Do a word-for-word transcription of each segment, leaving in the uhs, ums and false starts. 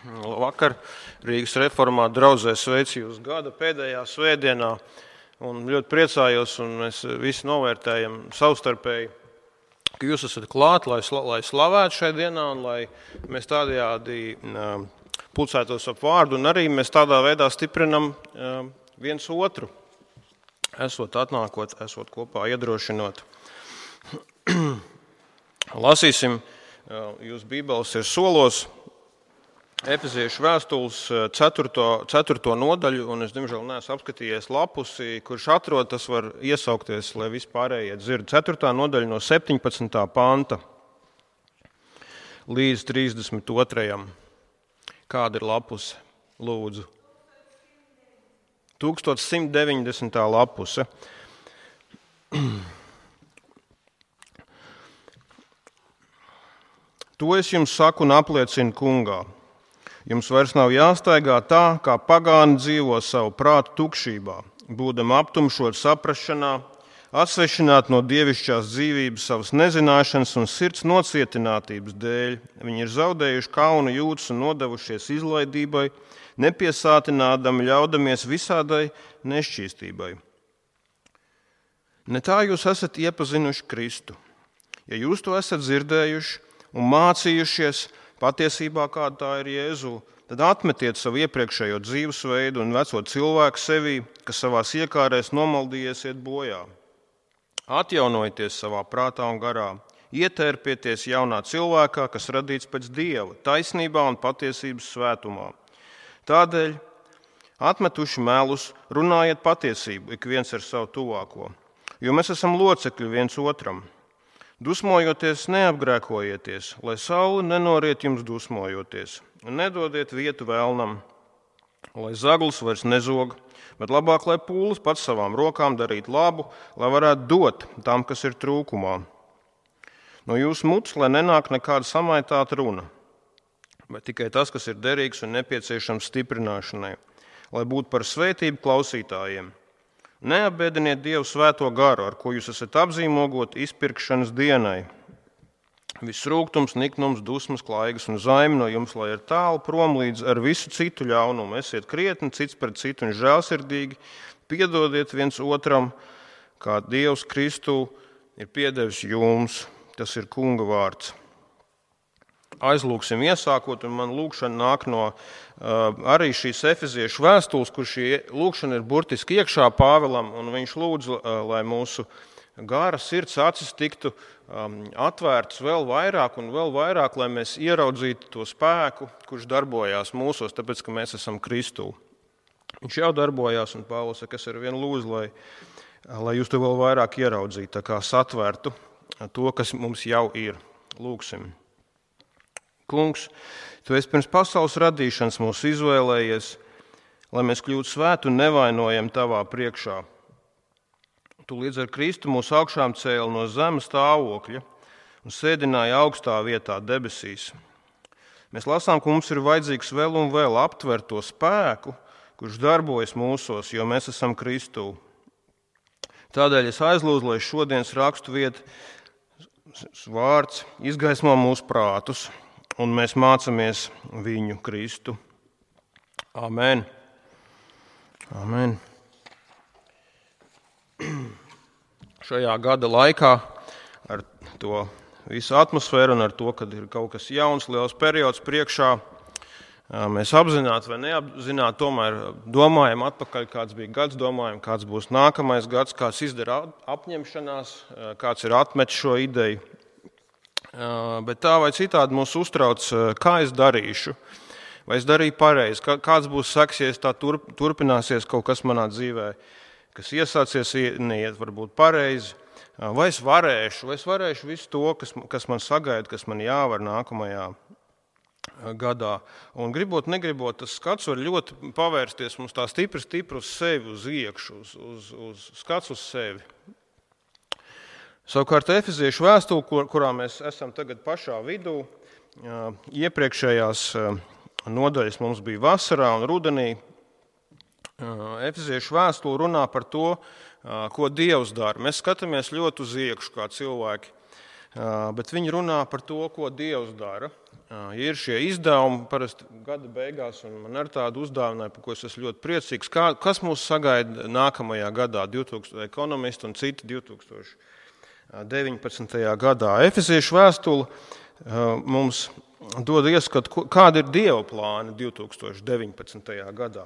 Vakar Rīgas reformā draudzē sveicu jūs gada pēdējā svētdienā un ļoti priecājos, un mēs visi novērtējam savstarpēji, ka jūs esat klāt, lai, lai slavētu šai dienā un lai mēs tādējādi pulcētos ap vārdu, un arī mēs tādā veidā stiprinam viens otru, esot atnākot, esot kopā iedrošinot. Lasīsim, jūs Bībeles ir solos, Efeziešu vēstules ceturto nodaļu, un es, diemžēl, neesmu apskatījies lapusi, kurš atrod, tas var iesaukties, lai vispārējie dzird. ceturtā nodaļa no septiņpadsmitā panta līdz trīsdesmit otrajam Kāda ir lapuse? Lūdzu. tūkstoš simt deviņdesmitā lapuse. To es jums saku un apliecinu kungā. Jums vairs nav jāstaigā tā, kā pagāni dzīvo savu prātu tukšībā, būdam aptumšot saprašanā, atsvešināt no dievišķās dzīvības savas nezināšanas un sirds nocietinātības dēļ. Viņi ir zaudējuši kaunu jūtas un nodevušies izlaidībai, nepiesātinādami ļaudamies visādai nešķīstībai. Ne tā jūs esat iepazinuši Kristu. Ja jūs to esat dzirdējuši un mācījušies, patiesībā kāda tā ir Jēzu, tad atmetiet savu iepriekšējo dzīvesveidu un veco cilvēku sevī, kas savās iekārēs nomaldījies iet bojā. Atjaunojieties savā prātā un garā, ietērpieties jaunā cilvēkā, kas radīts pēc Dieva, taisnībā un patiesības svētumā. Tādēļ, atmetuši melus, runājiet patiesību, ik viens ar savu tuvāko, jo mēs esam locekļi viens otram. Dusmojoties, neapgrēkojieties, lai saule nenoriet jums dusmojoties, un nedodiet vietu vēlnam, lai zaglis vairs nezog, bet labāk, lai pūlis pats savām rokām darīt labu, lai varētu dot tam, kas ir trūkumā. No jūsu mutes, lai nenāk nekāda samaitāta runa, bet tikai tas, kas ir derīgs un nepieciešams stiprināšanai, lai būtu par svētību klausītājiem. Neapbēdiniet Dievu svēto garu, ar ko jūs esat apzīmogoti izpirkšanas dienai. Viss rūgtums, niknums, dusmas, klaigas un zaimi no jums, lai ir tālu prom līdz ar visu citu ļaunumu. Esiet krietni cits pret citu un žēlsirdīgi, piedodiet viens otram, kā Dievs Kristu ir piedevis jums. Tas ir kunga vārds. Aizlūksim iesākot, un man lūkšana nāk no uh, arī šīs Efeziešu vēstules, kur šī lūkšana ir burtiski iekšā Pāvilam, un viņš lūdz, uh, lai mūsu gara sirds acis tiktu um, atvērtas vēl vairāk un vēl vairāk, lai mēs ieraudzītu to spēku, kurš darbojās mūsos, tāpēc, ka mēs esam Kristū. Viņš jau darbojās, un Pāvils saka, es ar vienu lūdzu, lai, lai jūs to vēl vairāk ieraudzītu, tā kā satvērtu to, kas mums jau ir. Lūksim. Kungs, tu esi pirms pasaules radīšanas mūs izvēlējies, lai mēs kļūtu svētu un nevainojam tavā priekšā. Tu līdz ar Kristu mūs augšām cēli no zemes stāvokļa un sēdināji augstā vietā debesīs. Mēs lasām, ka mums ir vajadzīgs vēl un vēl aptvert to spēku, kurš darbojas mūsos, jo mēs esam Kristū. Tādēļ es aizlūdzu, lai šodienas rakstu vieta vārds izgaismo mūsu prātus, un mēs mācāmies viņu Kristu. Amen. Amen. Šajā gada laikā ar to visu atmosfēru un ar to, kad ir kaut kas jauns, liels periods priekšā, mēs apzināti vai neapzināti tomēr domājam atpakaļ, kāds bija gads, domājam, kāds būs nākamais gads, kāds izdara apņemšanās, kāds ir atmetis šo ideju. Bet tā vai citādi mūs uztrauc, kā es darīšu, vai es darīju pareizi, kāds būs seks, ja tā turpināsies kaut kas manā dzīvē, kas iesācies, neiet varbūt pareizi, vai es varēšu, vai es varēšu visu to, kas, kas man sagaida, kas man jāvar nākamajā gadā. Un gribot, negribot, tas skats var ļoti pavērsties mums tā stipri, stipri uz sevi, uz iekšu, uz, uz, uz skats uz sevi. Savukārt Efeziešu vēstule, kur, kurā mēs esam tagad pašā vidū, iepriekšējās nodaļas mums bija vasarā un rudenī. Efeziešu vēstule runā par to, ko Dievs dara. Mēs skatāmies ļoti uz iekšu, kā cilvēki. bet viņi runā par to, ko Dievs dara. Ja ir šie izdevumi parasti gada beigās, un man ar tādu uzdāvināju, par ko es esmu ļoti priecīgs, kā, kas mūs sagaida nākamajā gadā, divtūkstošais ekonomisti un citi divi tūkstoši deviņpadsmitajā gadā. Efeziešu vēstule mums dod ieskatu, kāda ir Dieva plāna divi tūkstoši deviņpadsmitajā gadā.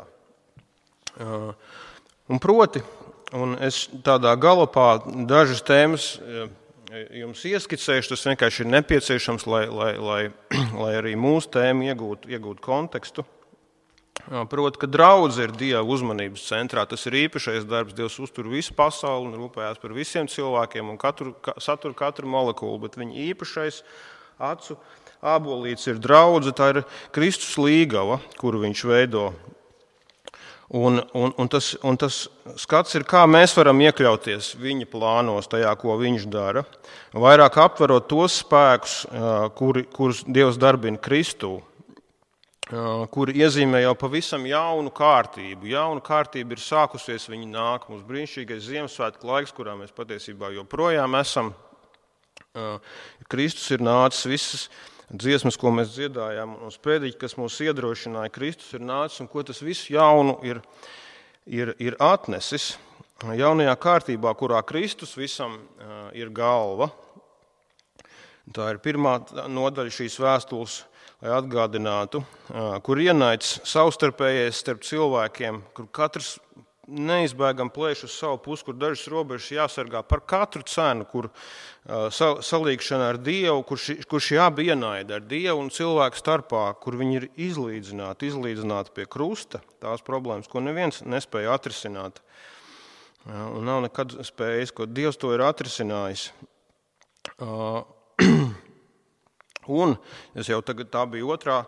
Un proti, un es tādā galopā dažas tēmas jums ieskicējuši, tas vienkārši ir nepieciešams, lai, lai, lai, lai arī mūsu tēma iegūtu, iegūtu kontekstu. Proti, ka draudze ir Dieva uzmanības centrā, tas ir īpašais darbs, Dievs uztur visu pasauli un rūpējās par visiem cilvēkiem un katru, satur katru molekulu, bet viņa īpašais acu ābolīts ir draudze, tā ir Kristus līgava, kuru viņš veido. Un, un, un, tas, un tas skats ir, kā mēs varam iekļauties viņa plānos, tajā, ko viņš dara, vairāk aptverot tos spēkus, kuri, kurus Dievs darbina Kristū, kuri iezīmē jau pavisam jaunu kārtību. Jauna kārtība ir sākusies, viņa nāk, mums brīnišķīgais Ziemassvētku laiks, kurā mēs patiesībā joprojām esam. Kristus ir nācis visas dziesmas, ko mēs dziedājām, un sprediķi, kas mūs iedrošināja, Kristus ir nācis, un ko tas visu jaunu ir, ir, ir atnesis. Jaunajā kārtībā, kurā Kristus visam ir galva. Tā ir pirmā nodaļa šīs vēstules, lai atgādinātu, kur ienaids savstarpējais starp cilvēkiem, kur katrs neizbēgam plēš uz savu pusi, kur dažas robežas jāsargā par katru cenu, kur uh, salīgšana ar Dievu, kur, ši, kur šie abi ienaida ar Dievu un cilvēku starpā, kur viņi ir izlīdzināti, izlīdzināti pie krusta, tās problēmas, ko neviens nespēja atrisināt. Uh, un nav nekad spējis, ko Dievs to ir atrisinājis. Uh, un es jau tagad tā bija otrā,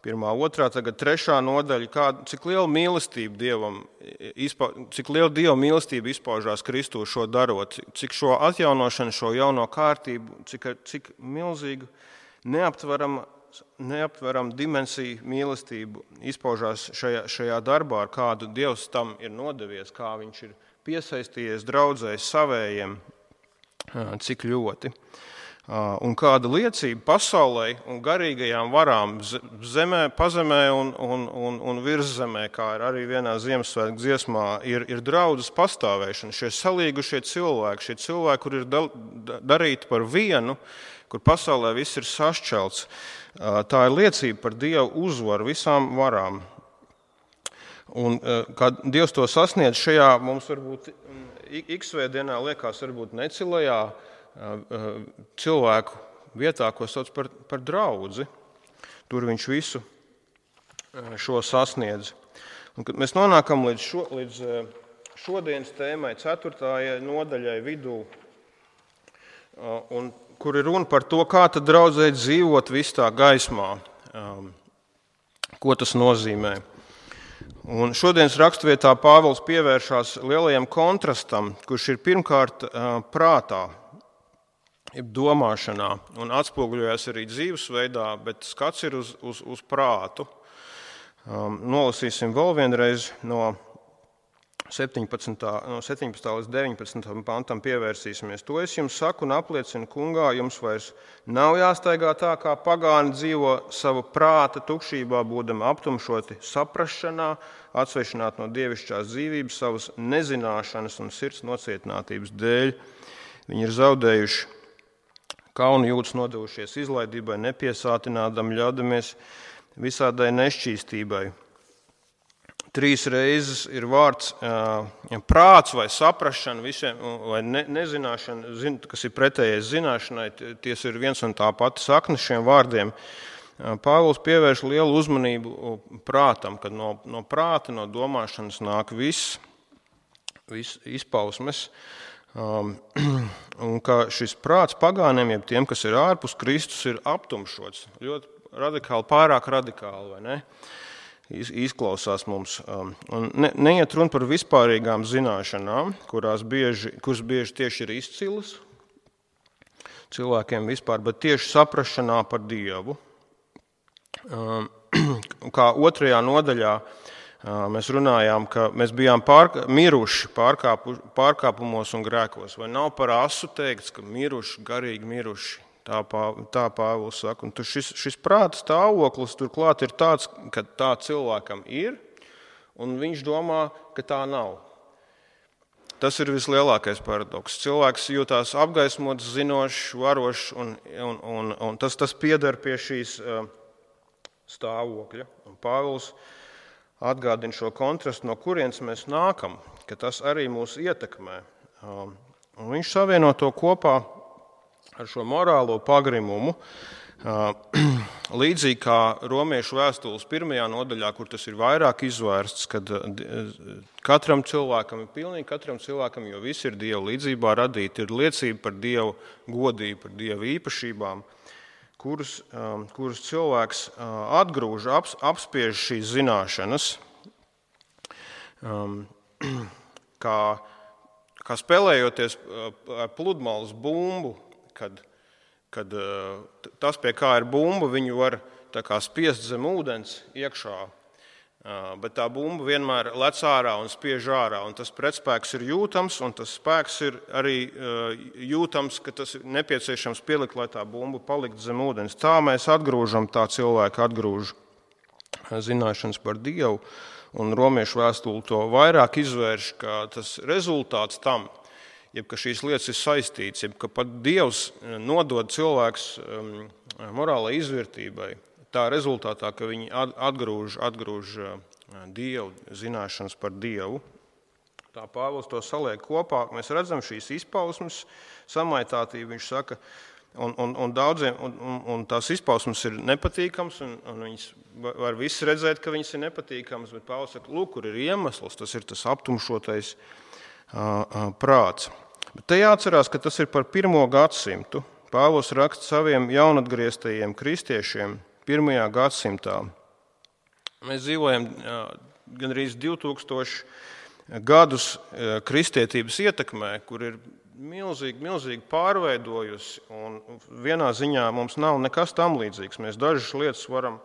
Pirmā, otrā, tagad trešā nodaļa, kā, cik liela mīlestība Dievam, izpa, cik liela Dieva mīlestība izpaužās Kristū šo darot, cik šo atjaunošanu, šo jauno kārtību, cik, cik milzīgu neaptveram, neaptveram dimensiju mīlestību izpaužās šajā, šajā darbā, ar kādu Dievs tam ir nodevies, kā viņš ir piesaistījies draudzēs savējiem, cik ļoti. Un kāda liecība pasaulē un garīgajām varām zemē, pazemē un, un, un, un virszemē, kā ir arī vienā Ziemassvētku dziesmā, ir, ir draudzes pastāvēšana. Šie salīgušie cilvēki, šie cilvēki, kur ir da, darīti par vienu, kur pasaulē viss ir sašķelts, tā ir liecība par Dievu uzvaru visām varām. Un kā Dievs to sasniedz šajā, mums varbūt iksvētdienā liekas varbūt necilajā, cilvēku vietā, ko sauc par, par draudzi. Tur viņš visu šo sasniedz. Un, kad mēs nonākam līdz, šo, līdz šodienas tēmai, ceturtajai nodaļai vidū, un, kur ir runa par to, kā tad draudzē dzīvot visā gaismā, ko tas nozīmē. Un šodienas raksturvietā Pāvils pievēršās lielajam kontrastam, kurš ir pirmkārt prātā, domāšanā un atspoguļojas arī dzīvesveidā, bet skats ir uz, uz, uz prātu. Um, nolasīsim vēl vienreiz no septiņpadsmitā. No septiņpadsmitā līdz deviņpadsmitajam pantam pievērsīsimies. To es jums saku un apliecinu kungā, jums vairs nav jāstaigā tā, kā pagāni dzīvo savu prāta tukšībā, būdami aptumšoti saprašanā, atsvešināt no dievišķās dzīvības savas nezināšanas un sirds nocietinātības dēļ. Viņi ir zaudējuši kaunu jūtas, nodevušies izlaidībai, nepiesātinādam, ļaudamies visādai nešķīstībai. Trīs reizes ir vārds ja prāts vai saprašana, visiem, vai ne, nezināšana, zin, kas ir pretējais zināšanai, ties ir viens un tā pati sakne šiem vārdiem. Pāvils pievērš lielu uzmanību prātam, kad no, no prāta, no domāšanas nāk viss, viss izpausmes. Um, un ka šis prāts pagāniem, jeb tiem, kas ir ārpus Kristus, ir aptumšots. Ļoti radikāli, pārāk radikāli, vai ne? Izklausās mums. Um, un ne, neiet runa par vispārīgām zināšanām, kurās bieži, kuras bieži tieši ir izcilas cilvēkiem vispār, bet tieši saprašanā par Dievu. Um, kā otrajā nodaļā Mēs runājām, ka mēs bijām pār, miruši pārkāpu, pārkāpumos un grēkos. Vai nav par asu teikts, ka miruši, garīgi miruši? Tā, pā, tā Pāvils saka. Un šis, šis prāta stāvoklis turklāt ir tāds, ka tā cilvēkam ir, un viņš domā, ka tā nav. Tas ir vislielākais paradoks. Cilvēks jūtās apgaismots, zinošs, varošs, un, un, un, un tas, tas pieder pie šīs uh, stāvokļa. Un Pāvils atgādina šo kontrastu, no kurienes mēs nākam, ka tas arī mūs ietekmē. Um, un viņš savieno to kopā ar šo morālo pagrimumu, līdzīgi kā Romiešu vēstules pirmajā nodaļā, kur tas ir vairāk izvērsts, kad katram cilvēkam ir pilnīgi katram cilvēkam, jo visi ir Dieva līdzībā radīti, ir liecība par Dievu godību, par Dievu īpašībām, kurus, kurus cilvēks atgrūž, ap, apspiež šīs zināšanas, kā, kā spēlējoties ar pludmales bumbu. Kad, kad tas, pie kā ir bumba, viņu var tā kā spiest zem ūdens iekšā, bet tā bumba vienmēr lec ārā un spiež ārā, un tas pretspēks ir jūtams, un tas spēks ir arī jūtams, ka tas ir nepieciešams pielikt, lai tā bumba paliktu zem ūdens. Tā mēs atgrūžam, tā cilvēka atgrūž zināšanas par Dievu, un Romiešu vēstule to vairāk izvērš, ka tas rezultāts tam, jeb ka šīs lietas ir saistītas, jeb ka pat Dievs nodod cilvēks morālai izvērtībai, tā rezultātā, ka viņi atgrūž, atgrūž Dievu, zināšanas par Dievu. Tā Pāvils to saliek kopā, mēs redzam šīs izpausmes, samaitātību, viņš saka, un, un, un daudziem, un, un, un tās izpausmes ir nepatīkams, un, un viņas var visi redzēt, ka viņas ir nepatīkams, bet Pāvils saka, lūk, kur ir iemesls, tas ir tas aptumšotais prāts. Bet te jāatcerās, ka tas ir par pirmo gadsimtu. Pāvils raksta saviem jaunatgrieztajiem kristiešiem pirmajā gadsimtā. Mēs dzīvojam gandrīz divi tūkstoši gadus kristietības ietekmē, kur ir milzīgi, milzīgi pārveidojusi, un vienā ziņā mums nav nekas tam līdzīgs. Mēs dažas lietas varam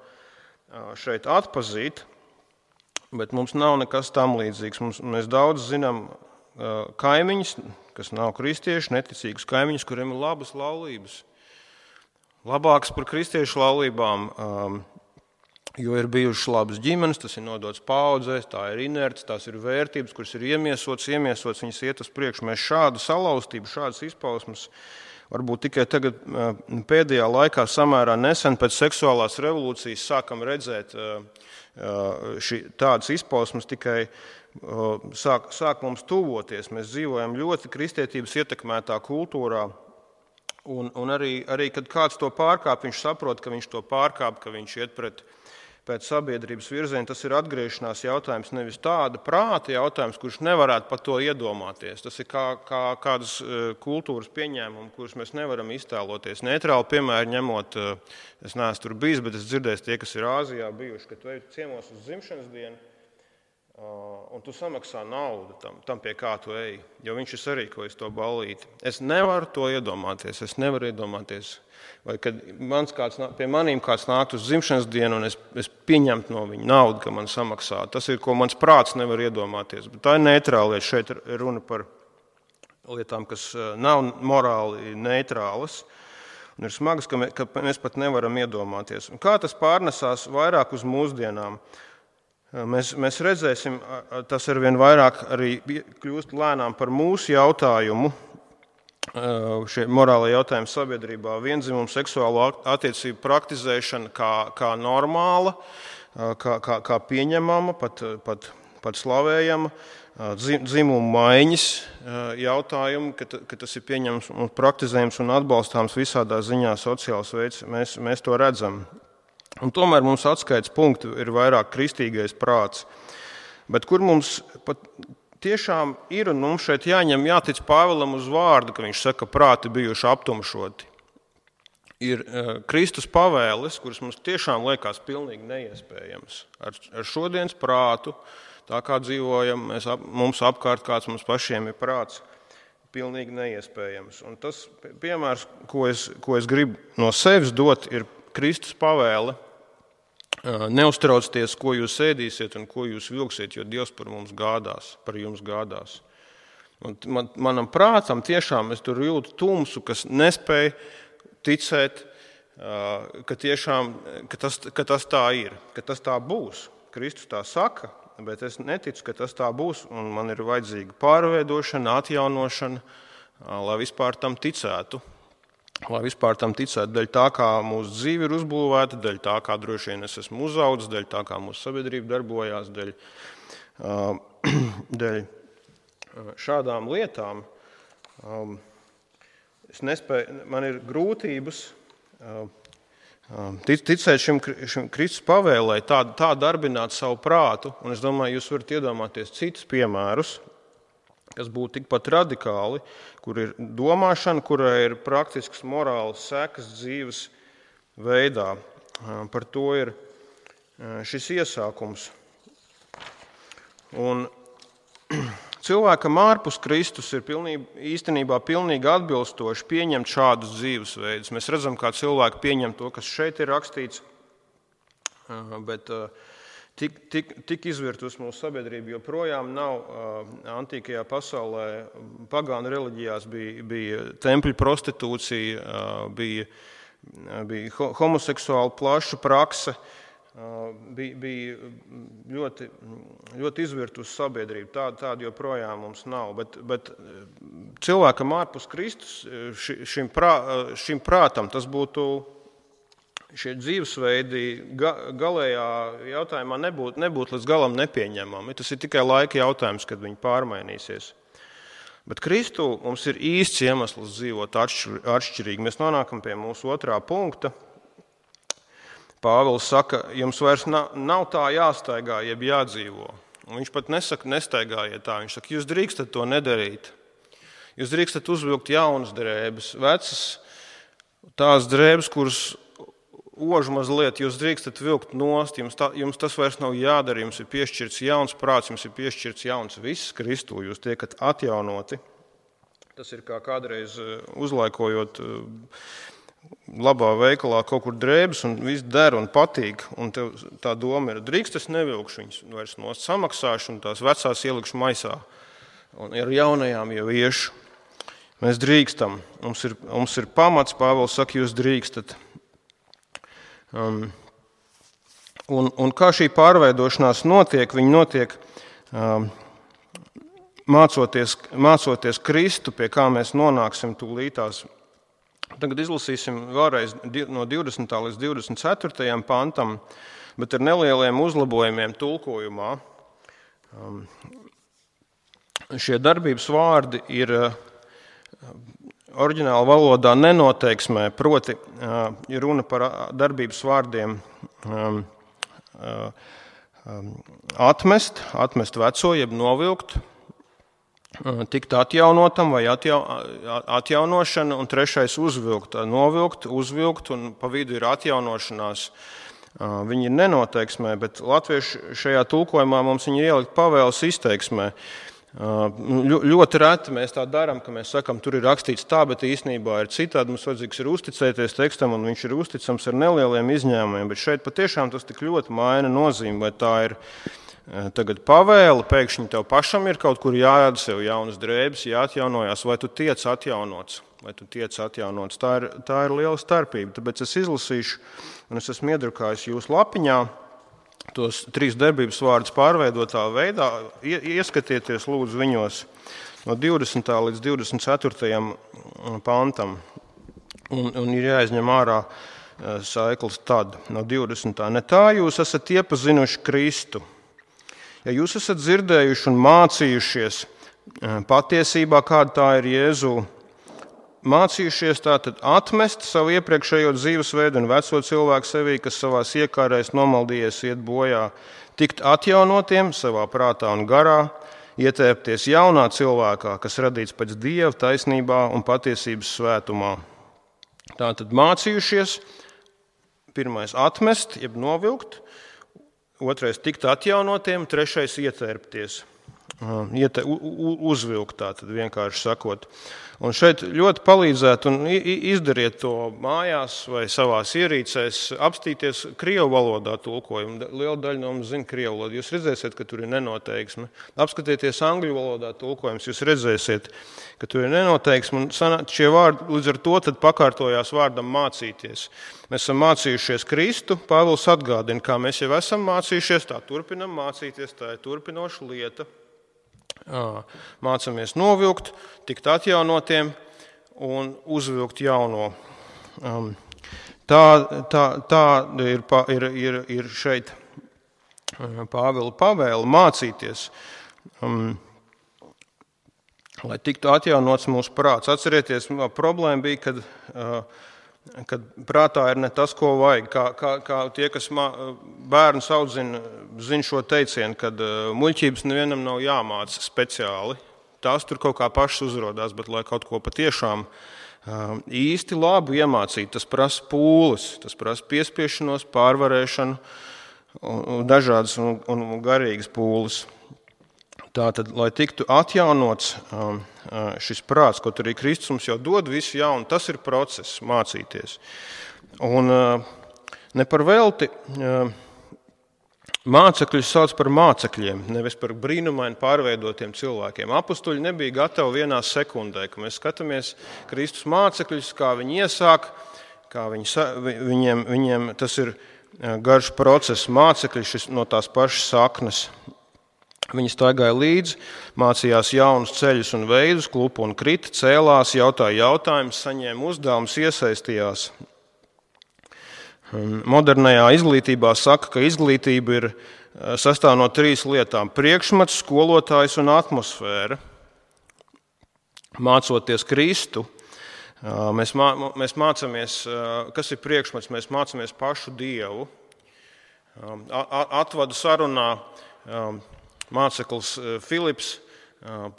šeit atpazīt, bet mums nav nekas tam līdzīgs. Mums, mēs daudz zinām kaimiņus, kas nav kristieši, neticīgus kaimiņus, kuriem ir labas laulības. Labākas par kristiešu laulībām, jo ir bijušas labas ģimenes, tas ir nodots paudzēs, tā ir inerts, tās ir vērtības, kuras ir iemiesotas, iemiesotas, viņas iet uz priekšu. Mēs šādu salauztību, šādas izpausmes varbūt tikai tagad pēdējā laikā samērā nesen pēc seksuālās revolūcijas sākam redzēt šī, tādas izpausmes tikai Sāk, sāk mums tuvoties. Mēs dzīvojam ļoti kristietības ietekmētā kultūrā, un, un arī, arī, kad kāds to pārkāp, viņš saprot, ka viņš to pārkāp, ka viņš iet pret, pēc sabiedrības virziena. Tas ir atgriešanās jautājums, nevis tāda prāta jautājums, kurš nevarētu par to iedomāties. Tas ir kā, kā kādas kultūras pieņēmumi, kurus mēs nevaram iztēloties. Neitrāli piemēru ņemot, es neesmu tur bijis, bet es dzirdēju tie, kas ir Āzijā bijuši, ka tu ej ciemos uz dzimšanas dienu, un tu samaksā naudu tam, tam, pie kā tu ej, jo viņš ir sarīkojis to ballīti. Es nevaru to iedomāties, es nevaru iedomāties, vai kad mans kāds, pie manīm kāds nākt uz dzimšanas dienu, un es, es pieņemtu no viņa naudu, ka man samaksā. Tas ir, ko mans prāts nevar iedomāties. Bet tā ir neitrāla lieta. Šeit ir runa par lietām, kas nav morāli neitrālas, un ir smagas, ka mēs, ka mēs pat nevaram iedomāties. Un kā tas pārnesās vairāk uz mūsdienām? Mēs, mēs redzēsim, tas arvien vairāk arī kļūst lēnām par mūsu jautājumu, šie morālie jautājumi sabiedrībā, viendzimumu seksuālo attiecību praktizēšana kā, kā normāla, kā, kā, kā pieņemama, pat, pat, pat slavējama, dzimumu maiņas jautājumu, ka, ka tas ir pieņemams un praktizējams un atbalstāms visādā ziņā sociāls veids, mēs, mēs to redzam. Un tomēr mums atskaites punkti ir vairāk kristīgais prāts. Bet kur mums pat tiešām ir, un mums šeit jāņem, jātic Pāvilam uz vārdu, ka viņš saka, prāti bijuši aptumšoti. Ir Kristus pavēles, kuras mums tiešām liekas pilnīgi neiespējams. Ar, ar šodienas prātu, tā kā dzīvojam, mēs, mums apkārt kāds mums pašiem ir prāts, pilnīgi neiespējams. Un tas piemērs, ko es, ko es gribu no sevis dot, ir Kristus pavēle Neuztraucieties, ko jūs ēdīsiet un ko jūs vilksiet, jo Dievs par mums gādās, par jums gādās. Un man, manam prātam tiešām es tur jūtu tumsu, kas nespēja ticēt, ka, tiešām, ka, tas, ka tas tā ir, ka tas tā būs. Kristus tā saka, bet es neticu, ka tas tā būs, un man ir vajadzīga pārveidošana, atjaunošana, lai vispār tam ticētu. Lai vispār tam ticētu, daļ tā, kā mūsu dzīve ir uzbūvēta, daļ tā, kā droši vien es esmu uzaudzis, daļ tā, kā mūsu sabiedrība darbojās, daļ, daļ šādām lietām. Es nespēju, man ir grūtības ticēt šim, šim Kristus pavēlē, tā, tā darbināt savu prātu, un es domāju, jūs varat iedomāties citus piemērus, kas būtu tikpat radikāli, kur ir domāšana, kurai ir praktisks morāls sekas dzīves veidā. Par to ir šis iesākums. Un cilvēkam ārpus Kristus ir pilnībā, īstenībā pilnīgi atbilstoši pieņemt šādus dzīvesveidus. Mēs redzam, kā cilvēki pieņem to, kas šeit ir rakstīts, bet Tik, tik, tik izvirtus mūsu sabiedrība joprojām nav. Antīkajā pasaulē pagānu reliģijās bija, bija tempļu prostitūcija, bija, bija homoseksuāla plaša prakse, bija, bija ļoti, ļoti izvirtus sabiedrība. Tāda, tāda joprojām mums nav. Bet, bet cilvēkam ārpus Kristus šim, prā, šim prātam tas būtu. Šie dzīvesveidi galējā jautājumā nebūtu, nebūtu līdz galam nepieņemami. Tas ir tikai laika jautājums, kad viņi pārmainīsies. Bet Kristu mums ir īsts iemesls dzīvot atšķirīgi. Mēs nonākam pie mūsu otrā punkta. Pāvils saka, jums vairs nav, nav tā jāstaigā, jeb jādzīvo. Un viņš pat nesaka, nestaigājiet tā. Viņš saka, jūs drīkstat to nedarīt. Jūs drīkstat uzvilkt jaunas drēbes, vecas tās drēbes, kuras ožu mazliet jūs drīkstat vilkt nost, jums, tā, jums tas vairs nav jādara, jums ir piešķirts jauns prāts, jums ir piešķirts jauns viss Kristū, jūs tiekat atjaunoti. Tas ir kā kādreiz uzlaikojot labā veikalā kaut kur drēbes un viss der un patīk, un tev tā doma ir, drīkst es nevilkšu viņus vairs nost, samaksāšu un tās vecās ielikšu maisā. Un ar jaunajām jau iešu. Mēs drīkstam, mums ir, mums ir pamats, Pāvils saka, jūs drīkstat. Um, un, un kā šī pārveidošanās notiek, viņi notiek um, mācoties, mācoties Kristu, pie kā mēs nonāksim tūlītās. Tagad izlasīsim vēlreiz no divdesmitā līdz divdesmit ceturtajam pantam, bet ar nelieliem uzlabojumiem tulkojumā. Um, šie darbības vārdi ir uh, oriģināla valodā nenoteiksmē, proti ir runa par darbības vārdiem um, um, atmest, atmest veco, jeb novilkt, tikt atjaunotam vai atjau, atjaunošana, un trešais uzvilkt, novilkt, uzvilkt, un pa vidu ir atjaunošanās. Viņi ir nenoteiksmē, bet latviešu šajā tulkojumā mums viņi ielikt pavēles izteiksmē. Ļoti reti mēs tā darām, ka mēs sakam, tur ir rakstīts tā, bet īstenībā ir citādi. Mums vajadzīgs ir uzticēties tekstam, un viņš ir uzticams ar nelieliem izņēmumiem. Bet šeit patiešām tas tik ļoti maina nozīmi, vai tā ir tagad pavēle, pēkšņi tev pašam ir kaut kur jārada sev jaunas drēbes, jāatjaunojās, vai tu tiec atjaunots, vai tu tiec atjaunots. Tā ir, tā ir liela starpība. Tāpēc es izlasīšu, un es esmu iedrukājis jūsu lapiņā tos trīs darbības vārdus pārveidotā veidā, ieskatieties lūdzu viņos no divdesmitā līdz divdesmit ceturtajam pantam. Un, un ir jāizņem ārā saiklis tad, no divdesmitā. Ne tā jūs esat iepazinuši Kristu. Ja jūs esat dzirdējuši un mācījušies patiesībā, kāda tā ir Jēzu, mācījušies tātad atmest savu iepriekšējo dzīvesveidu un veco cilvēku sevī, kas savās iekārēs nomaldījies iet bojā, tikt atjaunotiem savā prātā un garā, ietērpties jaunā cilvēkā, kas radīts pēc Dieva taisnībā un patiesības svētumā. Tātad mācījušies, pirmais atmest, jeb novilkt, otrais tikt atjaunotiem, trešais ietērpties. iete, uzvilkt, tā tad vienkārši sakot. Un šeit ļoti palīdzētu un izdariet to mājās vai savās ierīcēs, apstīties krievu valodā tulkojumu. Liela daļa no mums zina krievu valodu. Jūs redzēsiet, ka tur ir nenoteiksme. Apskatieties angļu valodā tulkojums, jūs redzēsiet, ka tur ir nenoteiksme. Un šie vārdi līdz ar to tad pakārtojās vārdam mācīties. Mēs esam mācījušies Kristu, Pāvils atgādina, kā mēs jau esam mācījušies, tā turpinam mācīties, tā ir turpinoša lieta. Mācamies novilkt, tikt atjaunotiem un uzvilkt jauno. Tā, tā, tā ir, ir, ir, ir šeit Pāvila pavēle mācīties, lai tiktu atjaunots mūsu prāts. Atcerieties, problēma bija, kad, kad prātā ir ne tas, ko vajag. Kā, kā, kā tie, kas bērnus audzina, zina šo teicienu, kad muļķības nevienam nav jāmāca speciāli. Tās tur kaut kā pašas uzrodās, bet lai kaut ko patiešām īsti labu iemācīt, tas prasa pūles, tas prasa piespiešanos, pārvarēšanu, dažādas un, un garīgas pūles. Tātad, lai tiktu atjaunots šis prāts, ko arī Kristus mums jau dod visu jaunu, tas ir process mācīties. Un ne par velti mācekļus sauc par mācekļiem, nevis par brīnumaini pārveidotiem cilvēkiem. Apustuļi nebija gatavi vienā sekundē, ka mēs skatāmies Kristus mācekļus, kā viņi iesāk, kā viņi, viņiem, viņiem tas ir garš process, mācekļi šis no tās pašas saknes. Viņi staigāja līdzi, mācījās jaunus ceļus un veidus, klupa un krita, cēlās, jautāja jautājumus, saņēma uzdevumus, iesaistījās. Modernajā izglītībā saka, ka izglītība ir sastāv no trīs lietām – priekšmets, skolotājs un atmosfēra. Mācoties Kristu, mēs, mā, mēs mācāmies, kas ir priekšmets, mēs mācāmies pašu Dievu. Atvadu sarunā māceklis Filips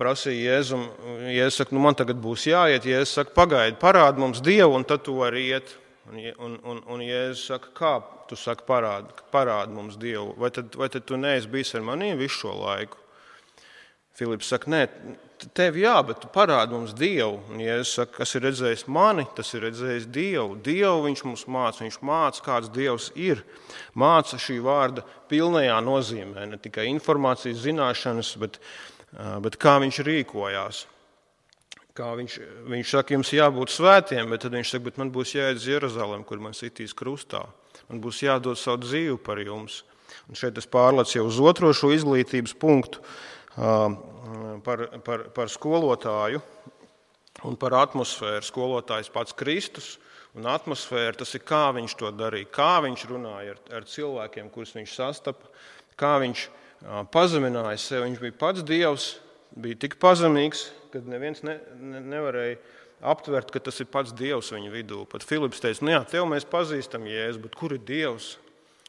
prasīja Jēzum, Jēzus saka, nu man tagad būs jāiet, Jēzus saka, pagaidi, parādi mums Dievu, un tad tu vari iet. Un, un, un, un Jēzus saka, kā tu saki, parādi, parādi mums Dievu, vai tad, vai tad tu neesi bijis ar maniem visu šo laiku? Filips saka, nē, tev jā, bet tu parādi mums Dievu. Un Jēzus saka, kas ir redzējis mani, tas ir redzējis Dievu. Dievu viņš mums māca, viņš māca, kāds Dievs ir. Māca šī vārda pilnajā nozīmē, ne tikai informācijas zināšanas, bet, bet kā viņš rīkojās. Kā viņš, viņš saka, jums jābūt svētiem, bet tad viņš saka, bet man būs jāiet uz Jeruzalem, kur man sitīs krustā. Man būs jādod savu dzīvi par jums. Un šeit es pārlecu jau uz otro šo izglītības punktu par, par, par skolotāju un par atmosfēru. Skolotājs pats Kristus un atmosfēra, tas ir kā viņš to darīja, kā viņš runāja ar, ar cilvēkiem, kurus viņš sastapa, kā viņš pazemināja sevi. Viņš bija pats Dievs, bija tik pazemīgs, kad neviens ne, ne, nevarēja aptvert, ka tas ir pats Dievs viņa vidū. Pat Filips teica, nu jā, tev mēs pazīstam Jēzu, bet kur ir Dievs?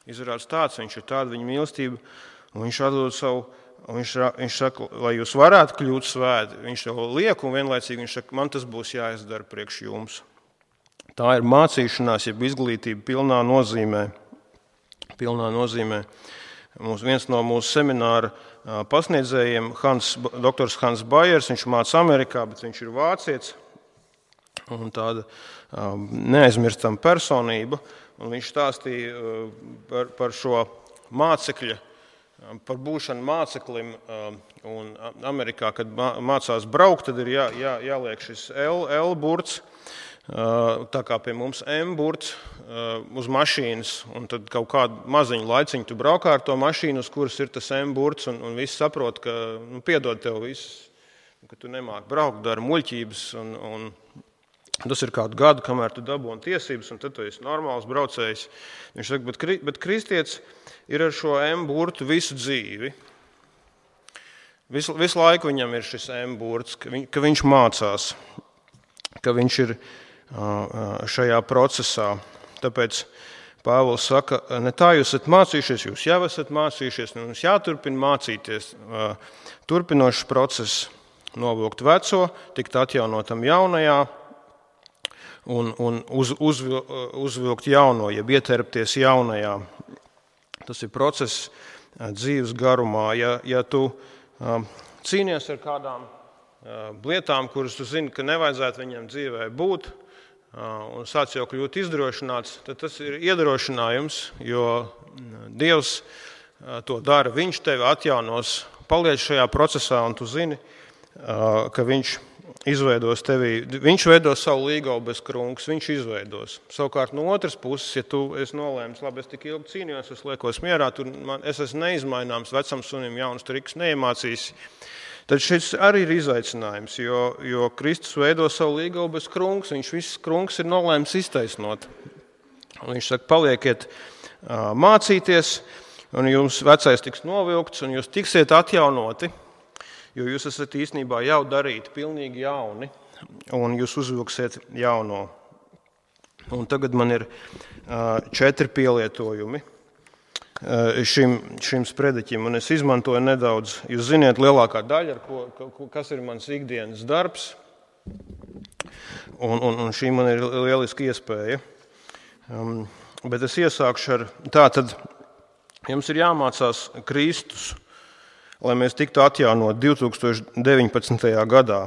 Izrādās tāds, viņš ir tāda viņa mīlestība, un viņš atdod savu, un viņš, viņš saka, lai jūs varētu kļūt svēti, viņš to liek, un vienlaicīgi viņš saka, man tas būs jāizdara priekš jums. Tā ir mācīšanās, jeb izglītība pilnā nozīmē. Pilnā nozīmē. Mums, viens no mūsu semināra pasniedzējiem, Hans, doktors Hans Bajers, viņš māca Amerikā, bet viņš ir vācietis un tāda neaizmirstama personība. Un viņš stāstīja par, par šo mācekļa, par būšanu māceklim. Un Amerikā, kad mācās braukt, tad ir jā, jā, jāliek šis L, L burts. Tā kā pie mums M-burts uz mašīnas, un tad kaut kādu maziņu laiciņu tu braukā ar to mašīnu, uz kuras ir tas M-burts, un, un visi saprot, ka nu, piedod tev viss, ka tu nemāki braukt, dara muļķības, un, un tas ir kādu gadu, kamēr tu dabūni tiesības, un tad tu esi normāls braucējs. Viņš saka, bet, bet kristietis ir ar šo M-burtu visu dzīvi. Visu, visu laiku viņam ir šis M-burts, ka, viņ, ka viņš mācās, ka viņš ir šajā procesā. Tāpēc Pāvils saka, ne tā jūs esat mācījušies, jūs jau esat mācījušies, un mums jāturpina mācīties. Turpinošs process novilkt veco, tikt atjaunotam jaunajā un, un uz, uz, uzvilkt jauno, jeb ieterpties jaunajā. Tas ir process dzīves garumā. Ja, ja tu cīnies ar kādām lietām, kuras tu zini, ka nevajadzētu viņam dzīvē būt, un sāc jau kļūt izdrošināts, tad tas ir iedrošinājums, jo Dievs to dara. Viņš tevi atjaunos, paliec šajā procesā, un tu zini, ka viņš izveidos tevi, viņš veidos savu līgavu bez krunkas, viņš izveidos. Savukārt no otras puses, ja tu esi nolēmis, labi, es tik ilgi cīnījos, es liekos mierā, tur man, es esmu neizmaināms, vecam sunim jauns triks neiemācīs, tad šis arī ir izaicinājums, jo, jo Kristus veido savu līgavu bez krunkas, viņš viss krunkas ir nolēmis iztaisnot. Un viņš saka, palieciet mācīties, un jums vecais tiks novilkts, un jūs tiksiet atjaunoti, jo jūs esat īstenībā jau darīti pilnīgi jauni, un jūs uzvilksiet jauno. Un tagad man ir četri pielietojumi šim, šim sprediķim, un es izmantoju nedaudz, jūs ziniet, lielākā daļa, ko, kas ir mans ikdienas darbs, un, un, un šī man ir lieliska iespēja. Um, bet es iesākšu ar, tā tad jums ir jāmācās Kristus, lai mēs tiktu atjaunot divi tūkstoši deviņpadsmitajā gadā,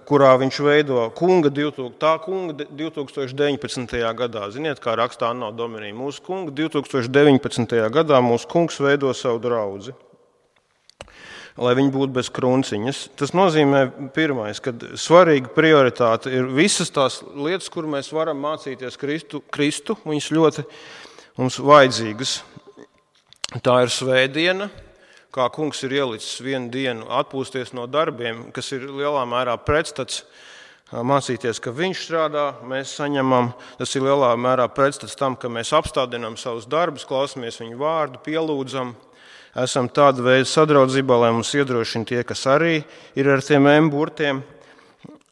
kurā viņš veido kunga, tā kunga divi tūkstoši deviņpadsmitajā gadā. Ziniet, kā rakstā Anno Domini, mūsu kunga divi tūkstoši deviņpadsmitajā gadā mūsu kungs veido savu draudzi, lai viņi būtu bez krunciņas. Tas nozīmē pirmais, ka svarīga prioritāte ir visas tās lietas, kur mēs varam mācīties Kristu, Kristu viņas ļoti mums vajadzīgas. Tā ir svētdiena, kā kungs ir ielicis vienu dienu atpūsties no darbiem, kas ir lielā mērā pretstats mācīties, ka viņš strādā, mēs saņemam, tas ir lielā mērā pretstats tam, ka mēs apstādinām savus darbus, klausamies viņu vārdu, pielūdzam, esam tāda veida sadraudzībā, lai mums iedrošina tie, kas arī ir ar tiem emburtiem,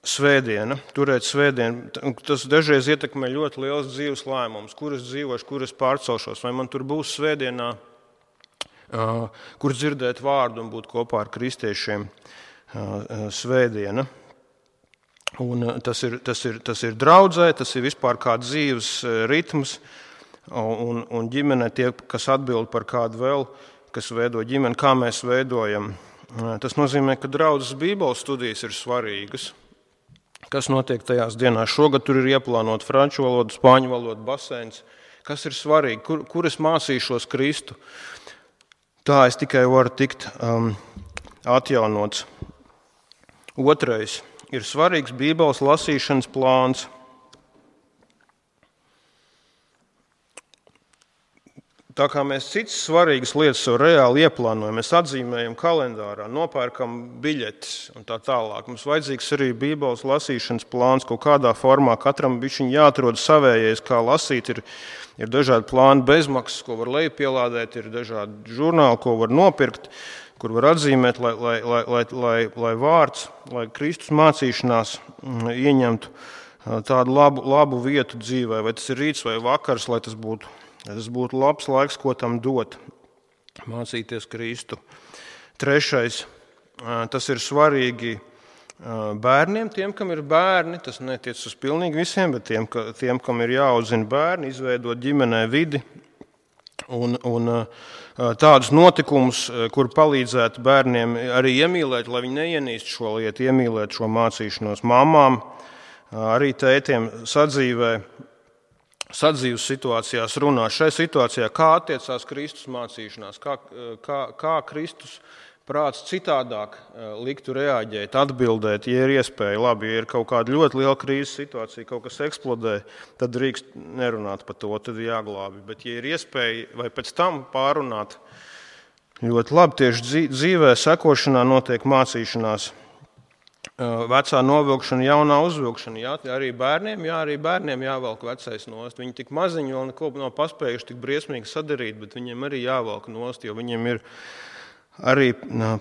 svētdiena, turēt svētdienu. Tas dažreiz ietekmē ļoti liels dzīves lēmums, kur es dzīvošu, kur es pārcelšos, vai man tur būs svētdienā, kur dzirdēt vārdu un būt kopā ar kristiešiem svētdiena. Un tas ir, tas ir, tas ir draudzē, tas ir vispār kā dzīves ritms, un, un ģimene tie, kas atbild par kādu vēl, kas veido ģimeni, kā mēs veidojam. Tas nozīmē, ka draudzes Bībeles studijas ir svarīgas. Kas notiek tajās dienās? Šogad tur ir ieplānot franču valodu, spāņu valodu, baseins. Kas ir svarīgi? Kur, kur es mācīšos Kristu? Tā es tikai varu tikt um, atjaunots. Otrais ir svarīgs Bībeles lasīšanas plāns. Tā kā mēs citas svarīgas lietas sev reāli ieplānojam, mēs atzīmējam kalendārā, nopērkam biļetes un tā tālāk. Mums vajadzīgs arī Bībeles lasīšanas plāns kaut kādā formā. Katram bišķiņ jāatrod savējais, kā lasīt. Ir, ir dažādi plāni bezmaksas, ko var lejupielādēt, ir dažādi žurnāli, ko var nopirkt, kur var atzīmēt, lai, lai, lai, lai, lai, lai vārds, lai Kristus mācīšanās ieņemtu tādu labu, labu vietu dzīvē, vai tas ir rīts vai vakars, lai tas būtu. Tas būtu labs laiks, ko tam dot, mācīties Kristu. Trešais, tas ir svarīgi bērniem, tiem, kam ir bērni, tas netiec uz pilnīgi visiem, bet tiem, tiem kam ir jāaudzina bērni, izveidot ģimenē vidi un, un tādus notikumus, kur palīdzētu bērniem arī iemīlēt, lai viņi neienīst šo lietu, iemīlēt šo mācīšanos mamām, arī tētiem sadzīvē. Sadzīves situācijās runā. Šai situācijā, kā attiecās Kristus mācīšanās, kā, kā, kā Kristus prāts citādāk liktu reaģēt, atbildēt, ja ir iespēja. Labi, ja ir kaut kāda ļoti liela krīzes situācija, kaut kas eksplodē, tad drīkst nerunāt par to, tad jāglābi. Bet ja ir iespēja vai pēc tam pārunāt, ļoti labi tieši dzīvē sekošanā notiek mācīšanās. Vecā novilkšana, jaunā uzvilkšana. Jā, arī bērniem, jā, arī bērniem jāvelk vecais nost. Viņi tik maziņi vēl neko nav paspējuši tik briesmīgi sadarīt, bet viņiem arī jāvelk nost, jo viņiem ir arī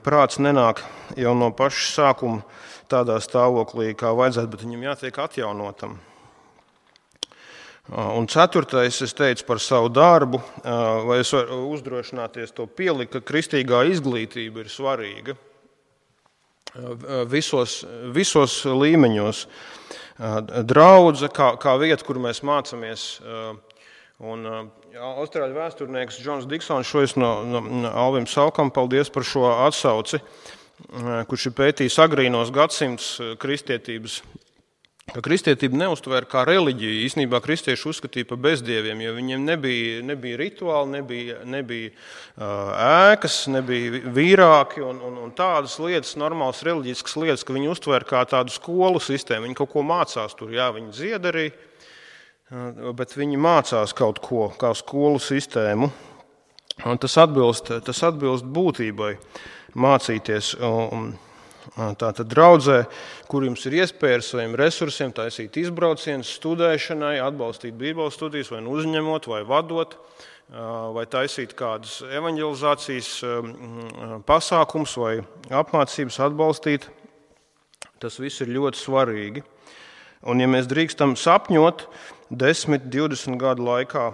prāts nenāk jau no paša sākuma tādā stāvoklī, kā vajadzētu, bet viņam jātiek atjaunotam. Un ceturtais, es teicu par savu darbu, vai es varu uzdrošināties to pielikt, ka kristīgā izglītība ir svarīga. Visos, visos līmeņos. Draudze, kā, kā vieta, kur mēs mācāmies. Un austrāļu vēsturnieks Džons Diksons, šo es no, no Alvim Salkam, paldies par šo atsauci. kurš ir pētījis agrīnos gadsimtus kristietības, ka kristietība neuztvēra kā reliģiju. Īstenībā kristieši uzskatīja par bezdieviem, jo viņiem nebija, nebija rituāli, nebija, nebija ēkas, nebija vīrāki un, un, un tādas lietas, normālas reliģiskas lietas, ka viņi uztvēra kā tādu skolu sistēmu. Viņi kaut ko mācās tur, jā, viņi dzied arī, bet viņi mācās kaut ko kā skolu sistēmu. Un tas atbilst, tas atbilst būtībai mācīties. Un, Tātad draudzē, kur jums ir iespēja ar saviem resursiem taisīt izbraucienus studēšanai, atbalstīt bībeles studijas, vai nu uzņemot, vai vadot, vai taisīt kādas evanģelizācijas pasākums vai apmācības atbalstīt. Tas viss ir ļoti svarīgi. Un ja mēs drīkstam sapņot desmit, divdesmit gadu laikā,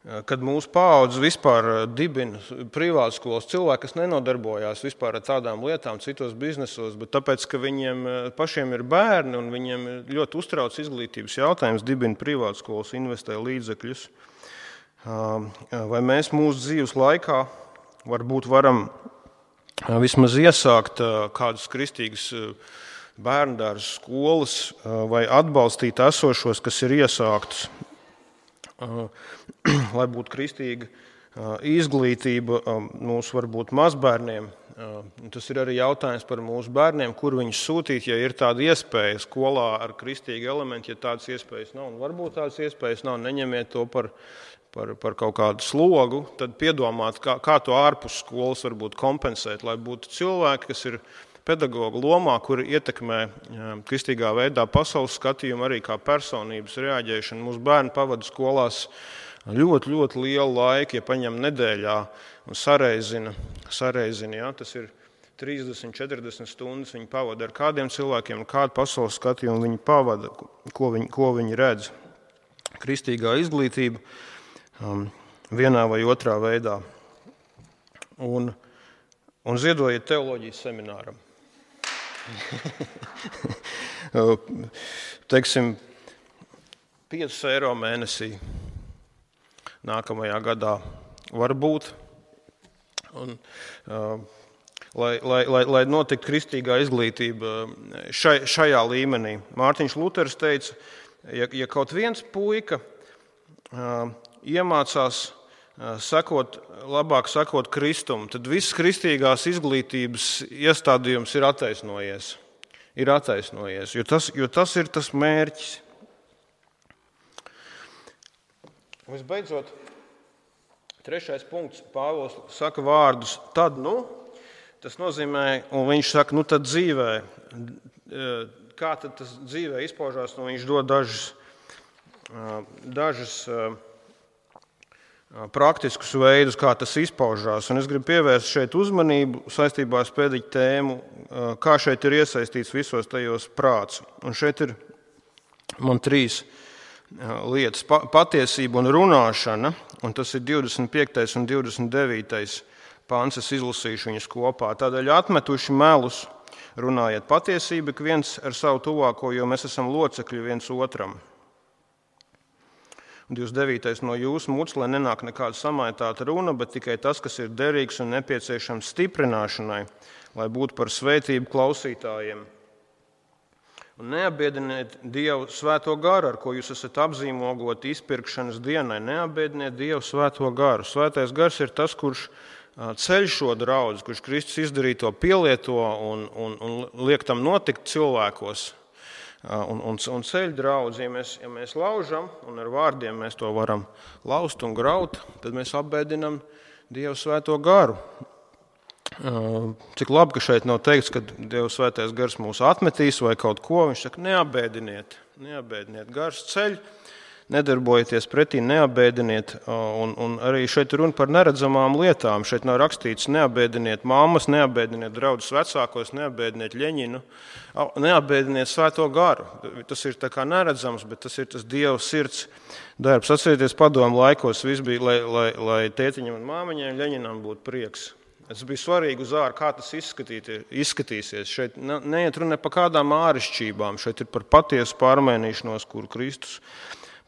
kad mūsu paudze vispār dibina privātskolas cilvēki, kas nenodarbojās vispār ar tādām lietām citos biznesos, bet tāpēc, ka viņiem pašiem ir bērni un viņiem ļoti uztrauc izglītības jautājums, dibina privātskolas, investē līdzekļus. Vai mēs mūsu dzīves laikā varbūt varam vismaz iesākt kādas kristīgas bērndārza skolas vai atbalstīt esošos, kas ir iesāktas, lai būtu kristīga izglītība mūsu varbūt mazbērniem. Tas ir arī jautājums par mūsu bērniem, kur viņus sūtīt, ja ir tāda iespēja skolā ar kristīgu elementu, ja tādas iespējas nav. Un varbūt tādas iespējas nav, neņemiet to par, par, par kaut kādu slogu, tad piedomāt, kā, kā to ārpus skolas varbūt kompensēt, lai būtu cilvēki, kas ir pedagoga lomā, kuri ietekmē kristīgā veidā pasaules skatījumu arī kā personības reaģēšanu. Mūsu bērni pavada skolās ļoti, ļoti lielu laiku, ja paņem nedēļā un sareizina, sareizina ja, tas ir trīsdesmit, četrdesmit stundas viņi pavada ar kādiem cilvēkiem, kādu pasaules skatījumu viņi pavada, ko viņi, ko viņi redz. Kristīgā izglītība um, vienā vai otrā veidā. Un, un ziedojiet teoloģijas semināram. Teiksim, piecus eiro mēnesī nākamajā gadā var būt. Un, uh, lai, lai, lai, lai notiktu kristīgā izglītība šai, šajā līmenī. Mārtiņš Luters teica, ja, ja kaut viens puika uh, iemācās sekot, labāk sekot Kristum, tad viss kristīgās izglītības iestādījums ir attaisnojies. Ir attaisnojies, jo tas, jo tas ir tas mērķis. Visbeidzot, trešais punkts, Pāvils saka vārdus, tad, nu, tas nozīmē, un viņš saka, nu tad dzīvē, kā tad tas dzīvē izpaužās, nu viņš dod dažas, dažas praktiskus veidus, kā tas izpaužās. Un es gribu pievērst šeit uzmanību saistībā ar pēdiņu tēmu, kā šeit ir iesaistīts visos tajos prāts. Un šeit ir man trīs lietas. Patiesība un runāšana, un tas ir divdesmit piektais un divdesmit devītais pāns, es izlasīšu viņus kopā. Tādēļ atmetuši melus, runājiet patiesību, ik viens ar savu tuvāko, jo mēs esam locekļi viens otram. divdesmit devītais no jūsu muts, lai nenāk nekāda samaitāta runa, bet tikai tas, kas ir derīgs un nepieciešams stiprināšanai, lai būtu par svētību klausītājiem. Un neapbiediniet Dievu svēto garu, ar ko jūs esat apzīmogoti izpirkšanas dienai. Neapbiediniet Dievu svēto garu. Svētais gars ir tas, kurš ceļ šo draudzi, kurš Kristus izdarīja to pielieto un, un, un liek tam notikt cilvēkos. Un, un, un ceļ draudzi, ja mēs, ja mēs laužam, un ar vārdiem mēs to varam laust un graut, tad mēs apbēdinam Dievu svēto garu. Cik labi, ka šeit nav teikts, ka Dieva svētais gars mūs atmetīs vai kaut ko, viņš saka, neapbēdiniet, neapbēdiniet gars ceļ, nedarbojieties pretī, neapbēdiniet, un, un arī šeit runa par neredzamām lietām. Šeit nav rakstīts neapbēdiniet mammas, neapbēdiniet draudus vecākos, neapbēdiniet Ļeņinu, neapbēdiniet svēto garu. Tas ir tā kā neredzams, bet tas ir tas Dieva sirds darbs. Atcerieties, padomu laikos viss bija, lai, lai, lai tētiņam un māmiņai Ļeņinam būtu prieks. Tas bija svarīgi uz ārā, kā tas izskatīsies. Šeit neiet runa par kādām ārišķībām, šeit ir par patiesu pārmainīšanos, kuru Kristus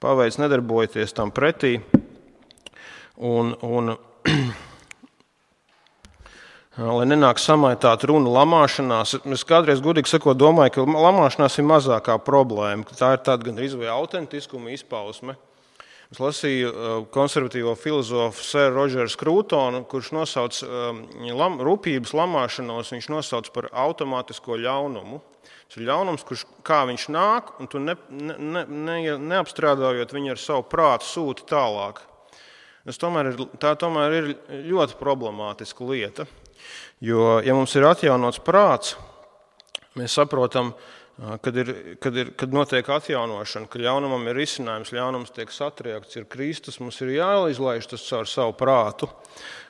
paveic, nedarbojieties tam pretī. Un, un, lai nenāk samaitāt runa lamāšanās. Es kādreiz, godīgi sakot, domāju, ka lamāšanās ir mazākā problēma, ka tā ir tāda gan izvai autentiskuma izpausme. Es lasīju konservatīvo filozofu Sir Rogeru Scrutonu, kurš nosauc lam, rūpības lamāšanos, viņš nosauc par automātisko ļaunumu. Tas ir ļaunums, kurš kā viņš nāk, un tu ne, ne, ne, neapstrādājot viņu ar savu prātu sūti tālāk. Tas tomēr ir, tā tomēr ir ļoti problemātiska lieta, jo, ja mums ir atjaunots prāts, mēs saprotam, Kad, ir, kad, ir, kad notiek atjaunošana, ka ļaunumam ir risinājums, ļaunums tiek satriekts, ir Kristus, mums ir jāizlaiž tas caur savu prātu.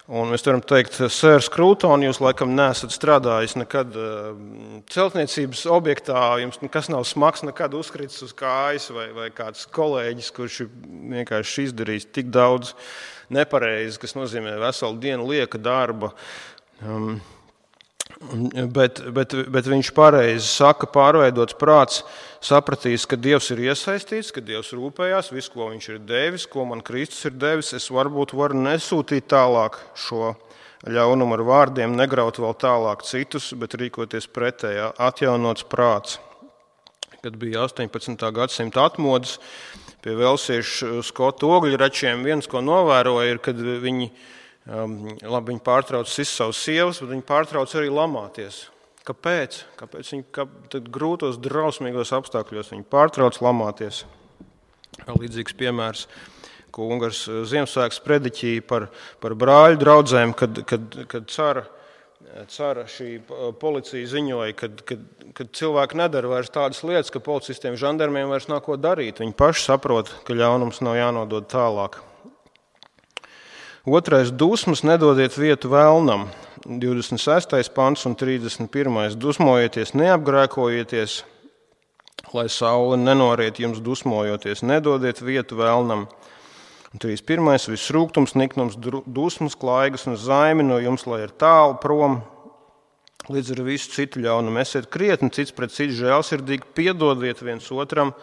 Un mēs varam teikt, Sērs Scruton, jūs laikam neesat strādājis nekad celtniecības objektā, jums nekas nav smags, nekad uzkritis uz kājas, vai, vai kāds kolēģis, kurš ir vienkārši izdarījis tik daudz nepareizi, kas nozīmē veselu dienu lieka darba. Um, Bet, bet, bet viņš pareizi saka, pārveidots prāts sapratīs, ka Dievs ir iesaistīts, ka Dievs rūpējās, visu, ko viņš ir devis, ko man Kristus ir devis. Es varbūt varu nesūtīt tālāk šo ļaunumu ar vārdiem, negraut vēl tālāk citus, bet rīkoties pretējā, atjaunots prāts. Kad bija astoņpadsmitā gadsimta atmodas pie velsiešu skotu ogļračiem, viens, ko novēroja, ir, kad viņi Um, labi, viņi pārtrauc sist savus sievas, bet viņi pārtrauc arī lamāties. Kāpēc? Kāpēc viņi kā, grūtos, drausmīgos apstākļos viņi pārtrauc lamāties? Līdzīgs piemērs, ko Ungars Ziemassvētku prediķīja par, par brāļu draudzēm, kad, kad, kad cara, cara šī policija ziņoja, kad, kad, kad cilvēki nedara vairs tādas lietas, ka policistiem, žandarmiem vairs nav ko darīt. Viņi paši saprot, ka ļaunums nav jānodod tālāk. Otrais dusmas nedodiet vietu vēlnam, divdesmit sestais pants un trīsdesmit pirmais Dusmojieties, neapgrēkojieties, lai saule nenoriet jums dusmojoties, nedodiet vietu vēlnam. Un trīsdesmit pirmais Viss rūgtums, niknums, dusmas, klaigas un zaimi no jums, lai ir tālu prom, līdz ar visu citu ļaunumu. Esiet krietni cits pret citu žēlsirdīgi, piedodiet viens otram,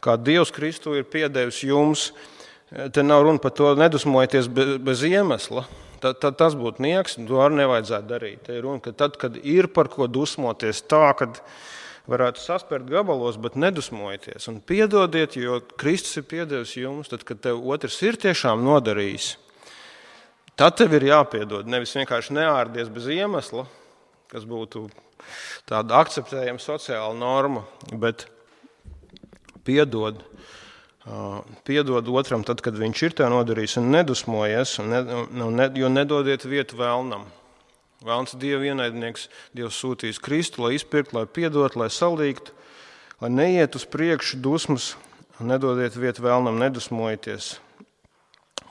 kā Dievs Kristu ir piedevis jums. Te nav runa par to nedusmojieties bez, bez iemesla. Tad, tad tas būtu nieks, to arī nevajadzētu darīt. Te ir runa, ka tad, kad ir par ko dusmoties tā, kad varētu saspērt gabalos, bet nedusmojieties. Un piedodiet, jo Kristus ir piedevis jums, tad, kad tev otrs ir tiešām nodarījis, tad tev ir jāpiedod. Nevis vienkārši neārdies bez iemesla, kas būtu tāda akceptējama sociāla norma, bet piedod. Piedod otram tad, kad viņš ir tev nodarījis un nedusmojies, un ne, jo nedodiet vietu vēlnam. Vēlns Dieva ienaidnieks, Dievs sūtīs Kristu, lai izpirkt, lai piedot, lai salīgtu, lai neiet uz priekšu dusmas, un nedodiet vietu vēlnam, nedusmojieties,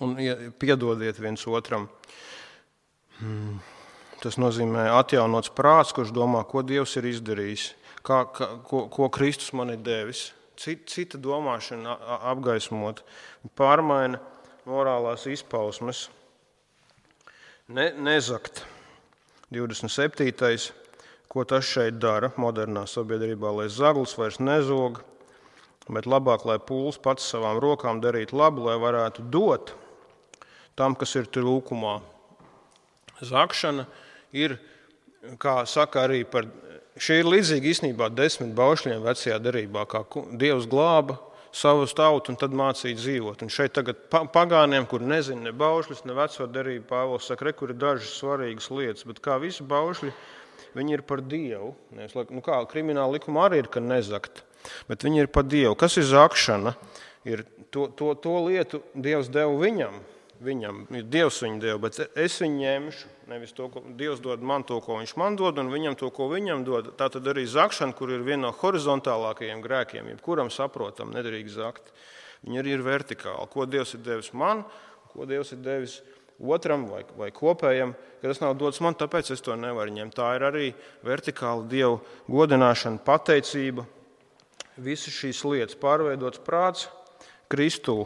un piedodiet viens otram. Tas nozīmē atjaunots prāts, kurš domā, ko Dievs ir izdarījis, kā, kā, ko, ko Kristus man ir devis. Cita domāšana apgaismot, pārmaina morālās izpausmes. Ne, nezakt. divdesmit septītais Ko tas šeit dara modernā sabiedrībā, lai zaglis vairs nezog, bet labāk, lai pūls pats savām rokām darītu labu, lai varētu dot tam, kas ir trūkumā. Zakšana ir, kā saka arī par šī ir līdzīga īstenībā desmit baušļiem vecajā derībā, kā Dievs glāba savu tautu un tad mācīja dzīvot. Un šeit tagad pagāniem, kur nezina ne baušļus, ne veco derību, Pāvils saka, re, kur ir dažas svarīgas lietas, bet kā visi baušļi, viņi ir par Dievu. Nu kā, krimināla likuma arī ir, ka nezakt, bet viņi ir par Dievu. Kas ir zakšana? Ir to, to, to lietu Dievs deva viņam. Viņam ir Dievs viņu deva, bet es viņu ņemšu. Nevis to, ko Dievs dod man to, ko viņš man dod, un viņam to, ko viņam dod. Tā tad arī zakšana, kur ir viena no horizontālākajiem grēkiem, jebkuram saprotam, nedrīkst zakt. Viņi arī ir vertikāli. Ko Dievs ir devis man, ko Dievs ir devis otram vai, vai kopējam, ka tas nav dots man, tāpēc es to nevaru ņemt. Tā ir arī vertikāla Dievu godināšana, pateicība, visas šīs lietas, pārveidots prāts Kristū,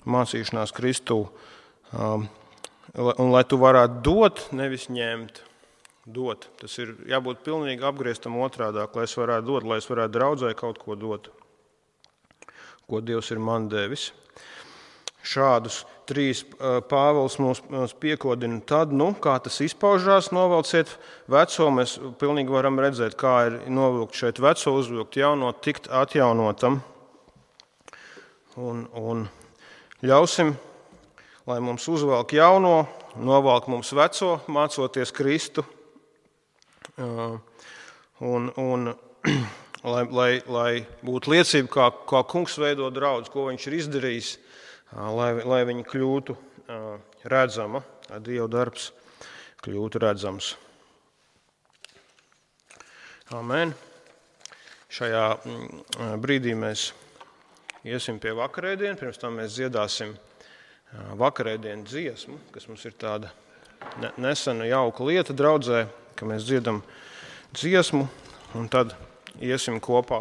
mācīšanās Kristū. Um, un lai tu varētu dot, nevis ņemt, dot. Tas ir jābūt pilnīgi apgrieztam otrādāk, lai es varētu dot, lai es varētu draudzē kaut ko dot, ko Dievs ir man devis. šādus trīs Pāvils mums piekodina, tad, nu, kā tas izpaužās, novelciet veco, mēs pilnīgi varam redzēt, kā ir novilkt šeit veco, uzvilkt jauno, tikt atjaunotam. Un, un ļausim, lai mums uzvelk jauno, novelk mums veco, mācoties Kristu. Un, un lai, lai, lai būtu liecība, kā, kā kungs veido draudz, ko viņš ir izdarījis, lai, lai viņi kļūtu redzama, Dieva darbs kļūtu redzams. Amen. Šajā brīdī mēs iesim pie vakarēdienas, pirms tam mēs dziedāsim vakarēdienas dziesmu, kas mums ir tāda nesena jauka lieta draudzē, ka mēs dziedam dziesmu un tad iesim kopā